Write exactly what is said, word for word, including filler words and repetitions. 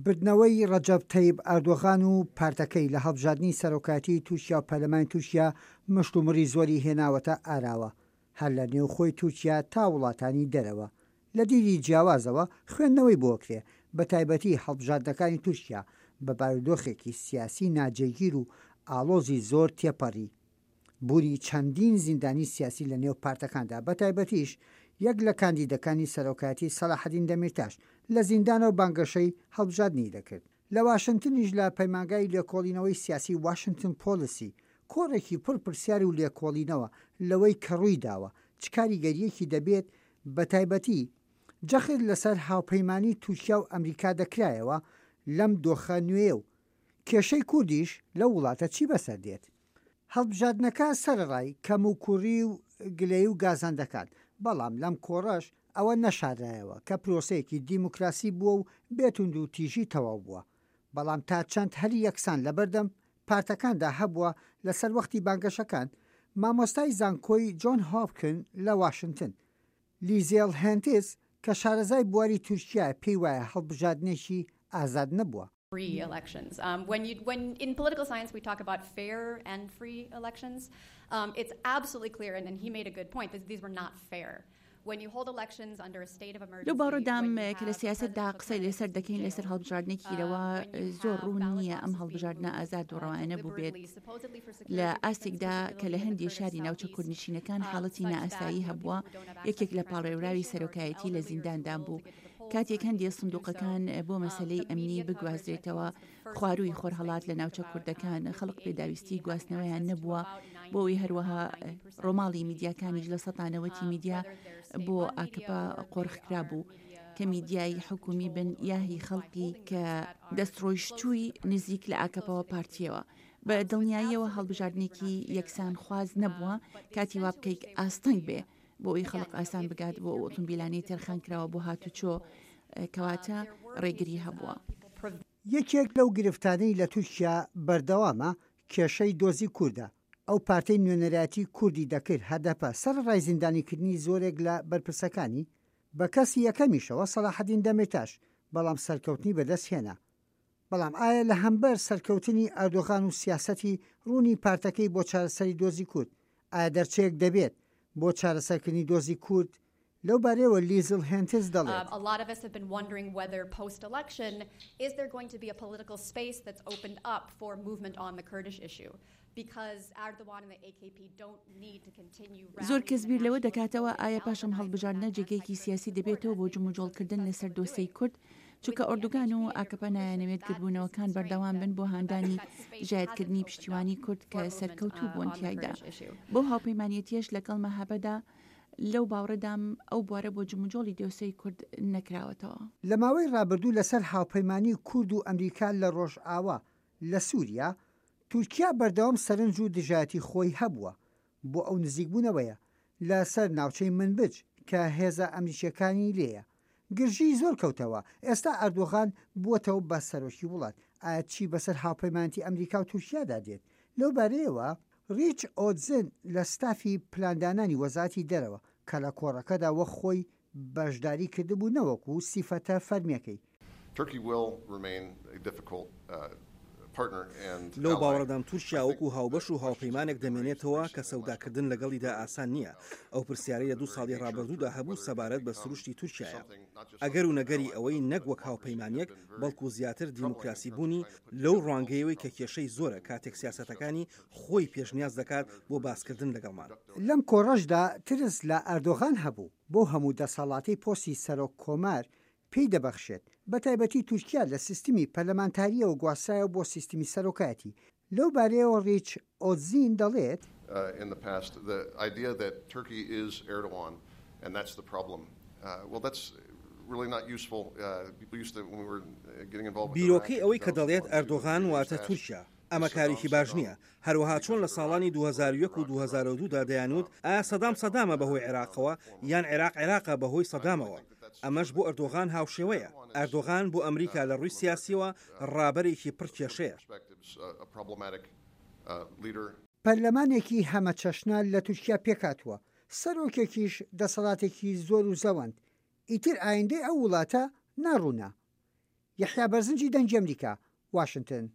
بردنەوەی ڕەجەب تەیب ئەردۆغان و پارتەکەی لە هەڵبژاردنی سەرۆکایەتی تورکیا و پەرلەمانی تورکیا مشتومڕی زۆری هێناوەتە ئاراوە، هەر لە نێوخۆی تورکیا تا وڵاتانی دەرەوە. لە دیدی جیاوازەوە خوێندنەوەی بۆ کرێ، بە تایبەتی هەڵبژاردنەکانی تورکیا بە بارودۆخێکی سیاسی ناجێگیر و ئاڵۆزی زۆر تێپەڕی. بوونی چەندین زیندانی سیاسی لە نێو پارتەکاندا، بە تایبەتیش یەک لە کاندیدەکانی سەرۆکایەتی سەلاحەدین دەمیرتاش لە زیندانەوە بانگەشەی هەڵبژاردنی دەکرد. لە واشنتنیش لە پەیمانگای لێکۆڵینەوەی سیاسی واشنتن پۆلیسی کۆڕێکی پڕ پرسیار و لێکۆڵینەوە لەوەی کە ڕووی داوە چ کاریگەریەکی دەبێت، بە تایبەتی جەخت لەسەر هاوپەیمانی تورکیا و ئەمریکا دەکرایەوە لەم دۆخە نوێ و کێشەی کوردیش لەو وڵاتە چی بەسەر دێت. هەڵبژاردنەکە سەرەڕای کەم و کوڕی و گلەیی و گازەندەکان، بەڵام لەم کۆڕەش ئەوە نەشارایەوە کە پرۆسەیەکی دیموکراسی بووە و بێتوند و تیژی تەواو بووە، بەڵام تا چەند هەلی یەکسان لەبەردەم پارتەکاندا هەبووە لەسەر وەختی بانگەشەکان. مامۆستای زانکۆی جۆن هۆپکن لە واشنتن لیزێڵ هێنتس کە شارەزای بواری تورکیا پێی وایە هەڵبژاردنێکی ئازاد نەبووە. Free elections. Um, when you when in political science we talk about fair and free elections, um, it's absolutely clear, and, and he made a good point, that these were not fair. When you hold elections under a state of emergency, لەو باوەڕەدام کە لە سیاسەتدا قسەی لەسەر دەکەین لەسەر هەڵبژاردنێکی رەوا، زۆر ڕوون نییە ئەم هەڵبژاردنە ئازاد و ڕەوایانە بووبێت لە ئاستێکدا کە لە هەندێک شاری ناوچە کوردنشینەکان حاڵەتی نائاسایی هەبووە، یەکێک لە پاڵێوراوی سەرۆکایەتی لە زینداندا بوو، کاتێک هەندێک سندوقەکان بۆ مەسلەی ئەمنی بگوازرێتەوە خوارووی خۆرهەڵات لە ناوچە کوردەکان، خەڵک پێداویستی گواستنەوەیان نەبووە بۆ ئەوەی. هەروەها ڕۆماڵی میدیاکانیش لە سەتانەوەتی میدیا بۆ ئاکەپە قۆرخکرا بوو، کە میدیای حکومی بن یاهی خەڵکی کە دەستڕۆیشتووی نزیک لە ئاکەپەوە پارتیەوە. بە دڵنیاییەوە هەڵبژاردنێکی یەکسان خواز نەبووە کاتی وا بکەیت ئاستەنگ بێ بۆ ئەوی خەڵک ئاسان بگات بۆ ئۆتۆمبیلانی تەرخان کراوە بۆ هاتوچۆ، کەواتە ڕێگری هەبووە. یەکێک لەو گرفتانەی لە تورکیا بەردەوامە کێشەی دۆزی کوردە. ئەو پارتەی نوێنەرایەتی کوردی دەکرد، هەدەپە، سەرەڕای زیندانیکردنی زۆرێک لە بەرپرسەکانی، بە کەسی یەکەمیشەوە سەلاحەدین دەمیرتاش، بەڵام سەرکەوتنی بەدەست هێنا. بەڵام ئایا لە هەمبەر سەرکەوتنی ئەردۆغان و سیاسەتی ڕوونی پارتەکەی بۆ چارەسەری دۆزی کورد، ئایا دەرچەیەک دەبێت بۆ چارەسەرکردنی دۆزی کورد؟ لەو بارەیەوە لیزل هێنتز دەڵێت: A lot of us have been wondering whether post-election is there going to be a political space that's opened up for movement on the Kurdish issue, because Erdogan and the A K P don't need to continue زۆر کەس بیر لەوە دەکاتەوە ئایا پاش ئەم هەڵبژاردنە جێگەیەکی سیاسی دەبێتەوە بۆ جموجۆڵکردن لەسەر دۆسەی کورد، چونکە ئۆردوگان و ئاکەپە نایانەوێت گردبوونەوەکان بەردەوام بن بۆ هاندانی ژایەتکردنی پشتیوانی کورد کە سەرکەوتوو بوون تیایدا بۆ هاوپەیمانێتیەش لەگەڵ مەهەبەدا. لەو باوەڕەدام ئەو بوارە بۆ جموجۆڵی دۆسەی کورد نەکراوەتەوە. لە ماوەی ڕابردوو لەسەر هاوپەیمانی کورد و ئەمریکا لە ڕۆژئاوا لە سووریا، تورکیا بەردەوام سەرنج و دژایەتی خۆی هەبووە بۆ ئەو نزیکبوونەوەیە لەسەر ناوچەی منبج کە هێزە ئەمریکیەکانی لێیە. گرژی زۆر کەوتەوە. ئێستا ئەردۆغان بووەتەوە بە سەرۆکی وڵات. ئایا چی بەسەر هاوپەیمانەتی ئەمریکا و تورکیادا دێت؟ لەو بارەیەوە ڕیچ ئۆتزن لە ستافی پلاندانانی وەزارەتی دەرەوە کە لە کۆڕەکەدا وەک خۆی بەشداری کردبوو نەوەکو سیفەتە فەرمیەکەی، Turkey will remain a difficult uh, partner and لەو ally. باوەڕەدام تورکیا وەکو هاوبەش و هاوپەیمانێک دەمێنێتەوە کە سەوداکردن لەگەڵیدا ئاسان نییە. ئەو پرسیارەی لە دوو ساڵی ڕابردوودا هەبوو سەبارەت بە سروشتی تورکیایە، ئەگەر و نەگەری ئەوەی نەک وەک هاوپەیمانیەک بەڵکو زیاتر دیموکراسی بوونی، لەو ڕوانگەیەوەی کە کێشەی زۆرە کاتێک سیاسەتەکانی خۆی پێشنیاز دەکات بۆ باسکردن لەگەڵمان. لەم کۆڕەشدا ترس لە ئەردۆغان هەبوو بۆ هەموو دەسەڵاتی پۆستی سەرۆک کۆمار پێی دەبەخشێت. بە تایبەتی تورکیا لە سیستمی پەرلەمانتاریەوە گواسترایەوە بۆ سیستمی سەرۆکایەتی. لەو بارەیەوە ڕیچ ئۆتزین دەڵێت: Uh, in the past, the idea that Turkey is Erdogan and that's the problem. Uh, well, that's really not useful. Uh, people used to, when we were getting involved with بیرۆکەی ئەوەی کە دەڵێت ئەردۆغان واتە تورکیا، ئەمە کارێکی باش نییە. هەروەها چۆن لە ساڵانی دوو هەزار و یەک و دوو هەزار و دوو دا دەیانوت ئایا سەدام سەدامە بەهۆی عێراقەوە یان عێراق عێراقە بەهۆی سەدامەوە، ئەمەش بۆ ئەردۆغان هاوشێوەیە. ئەردۆغان بۆ ئەمریکا لە ڕووی سیاسیەوە ڕابەرێکی پڕ کێشەیە. A problematic uh, leader. پەرلەمانێکی هەمەچەشنە لە تورکیا پێکاتوە، سەرۆکێکیش دەسەڵاتێکی زۆر و زەوەند. ئیتر ئایندەی ئەو وڵاتە ناڕوونە. یەحیا بەرزنجی، دەنگی ئەمریکا، واشنتن.